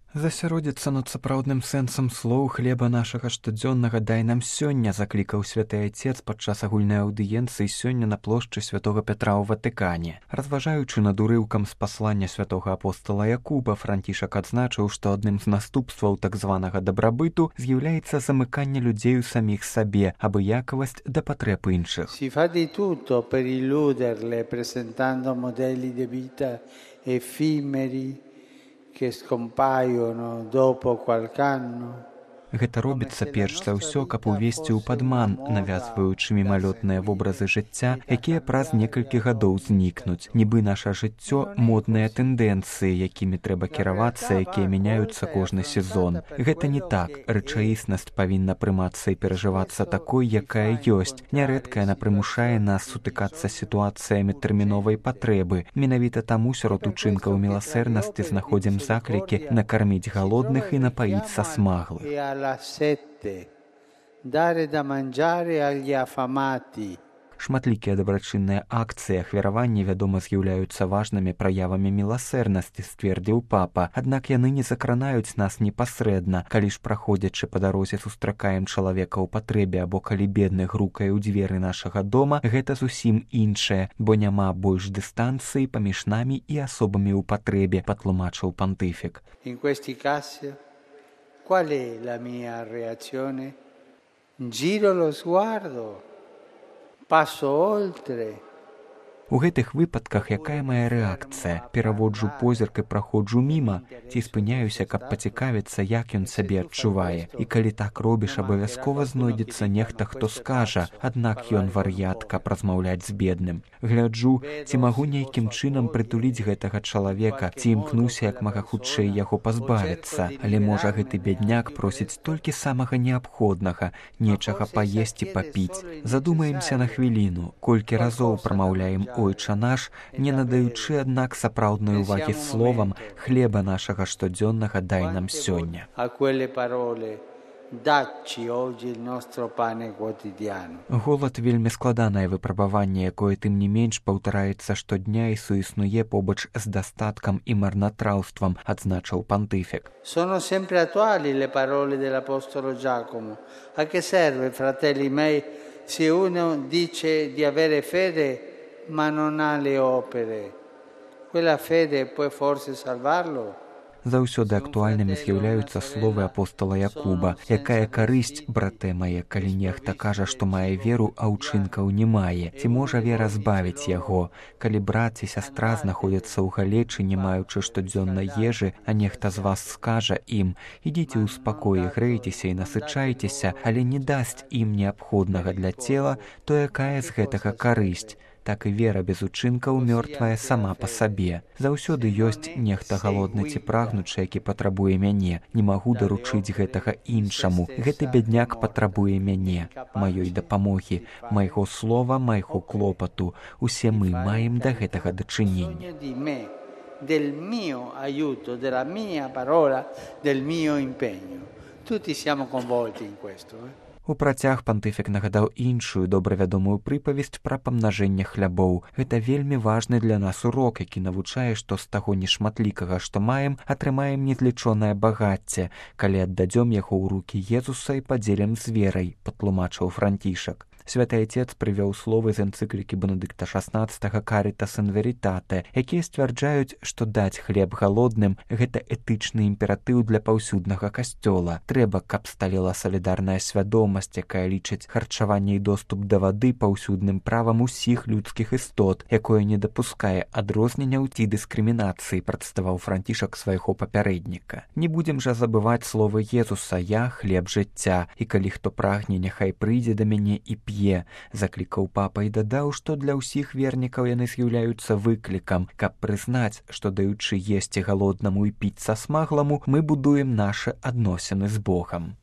Засяродзіцца над сапраўдным сэнсам слоў хлеба нашага штодзённага дай нам сёння, заклікаў святы Айцец падчас агульнай аўдыенцыі сёння на плошчы святога Пятра ў Ватыкане. Разважаючы над урыўкам з паслання святога апостола Якуба, Францішак адзначыў, што адным з наступстваў так званага дабрабыту з'яўляецца замыканне людзей у саміх сабе, абыякавасць да патрэб іншых. Si fa di tutto per illuderle presentando modelli di vita effimeri che scompaiono dopo qualche anno. Гэта робіцца перш за ўсё, каб увесці ў падман, навязваючы мімалётныя вобразы жыцця, якія праз некалькі гадоў знікнуць. Нібы наша жыццё модныя тэндэнцыі, якімі трэба кіравацца, якія мяняюцца кожны сезон. Гэта не так. Рэчаіснасць павінна прымацца і перажывацца такой, якая ёсць. Нярэдка яна прымушае нас сутыкацца з сітуацыямі тэрміновай патрэбы. Менавіта таму сярод учынкаў міласэрнасці знаходзім заклікі накарміць галодных і напаіць са смаглых. Alla sette, dare da mangiare agli affamati. Шматлікія дабрачынныя акцыі ахвяравання, вядома, з'яўляюцца важнымі праявамі міласэрнасці, сцвердзіў папа. Аднак яны не закранаюць нас непасрэдна. Калі ж праходзячы па дарозе сустракаем чалавека ў патрэбе або калі бедны грукае ў дзверы нашага дома, гэта зусім іншае, бо няма больш дыстанцыі паміж намі і асобамі ў патрэбе, патлумачыў пантыфік. In questi casi, qual è la mia reazione? Giro lo sguardo, passo oltre. У гэтых выпадках якая мая рэакцыя? Пераводжу позірк і праходжу міма, ці спыняюся, каб пацікавіцца, як ён сябе адчувае. І калі так робіш, абавязкова знойдзецца нехта, хто скажа, аднак ён вар'ят, каб размаўляць з бедным. Гляджу, ці магу нейкім чынам прытуліць гэтага чалавека, ці імкнуся як мага хутчэй яго пазбавіцца. Але можа гэты бядняк просіць толькі самага неабходнага, нечага паесці, папіць. Задумаемся на хвіліну, колькі разоў прамаўляем «Ойча наш», не надаючы, аднак, сапраўднай увагі словам «хлеба нашага штодзённага дай нам сёння». Голад вельмі складанае выпрабаванне, якое тым не менш паўтараецца штодня і суіснуе побач з дастаткам і марнатраўствам, адзначыў пантыфік. Sono sempre attuali le parole dell'apostolo Giacomo. A che serve, fratelli miei, se uno dice di avere fede ma non ha le opere? Quella fede può forse salvarlo? Заўсёды актуальнымі з'яўляюцца словы апостола Якуба. Якая карысць, брате мае, калі нехта кажа, што мае веру, а ўчынкаў не мае? Ці можа вера збавіць яго? Калі брат ці сястра знаходзяцца ў галечы, не маючы штодзённай ежы, а нехта з вас скажа ім: «Ідзіце ў спакоі, грэйцеся і насычайцеся», але не дасць ім неабходнага для цела, то якая з гэтага карысць? Так і вера без учынкаў мёртвая сама па сабе. Заўсёды ёсць нехта галодны ці прагнучы, які патрабуе мяне. Не магу даручыць гэтага іншаму. Гэты бядняк патрабуе мяне, маёй дапамогі, майго слова, майго клопату. Усе мы маем да гэтага дачынення. Del mio aiuto, della mia parola, del mio impegno. Tutti siamo coinvolti in questo. У працяг пантыфік нагадаў іншую добравядомую прыпавесць пра памнажэнне хлябоў. Гэта вельмі важны для нас урок, які навучае, што з таго нешматлікага, што маем, атрымаем незлічонае багацце, калі аддадзём яго ў рукі Езуса і падзелім з верай, патлумачыў Францішак. Святы Айцец прывёў словы з энцыклікі Бенедыкта XVI «Caritas in veritate», якія сцвярджаюць, што даць хлеб галодным – гэта этычны імператыў для паўсюднага касцёла. Трэба, каб сталела салідарная свядомасць, якая лічыць харчаванне і доступ да вады паўсюдным правам усіх людскіх істот, якое не дапускае адрозненняў ці дыскрымінацыі, прадставаў Францішак свайго папярэдніка. Не будзем жа забываць словы Езуса «Я – хлеб жыцця», і калі хто прагне, няхай прыйдзе да мяне і п'е. Заклікаў папа і дадаў, што для ўсіх вернікаў яны з'яўляюцца выклікам, каб прызнаць, што даючы есці галоднаму і піць са смагламу, мы будуем нашы адносіны з Богам.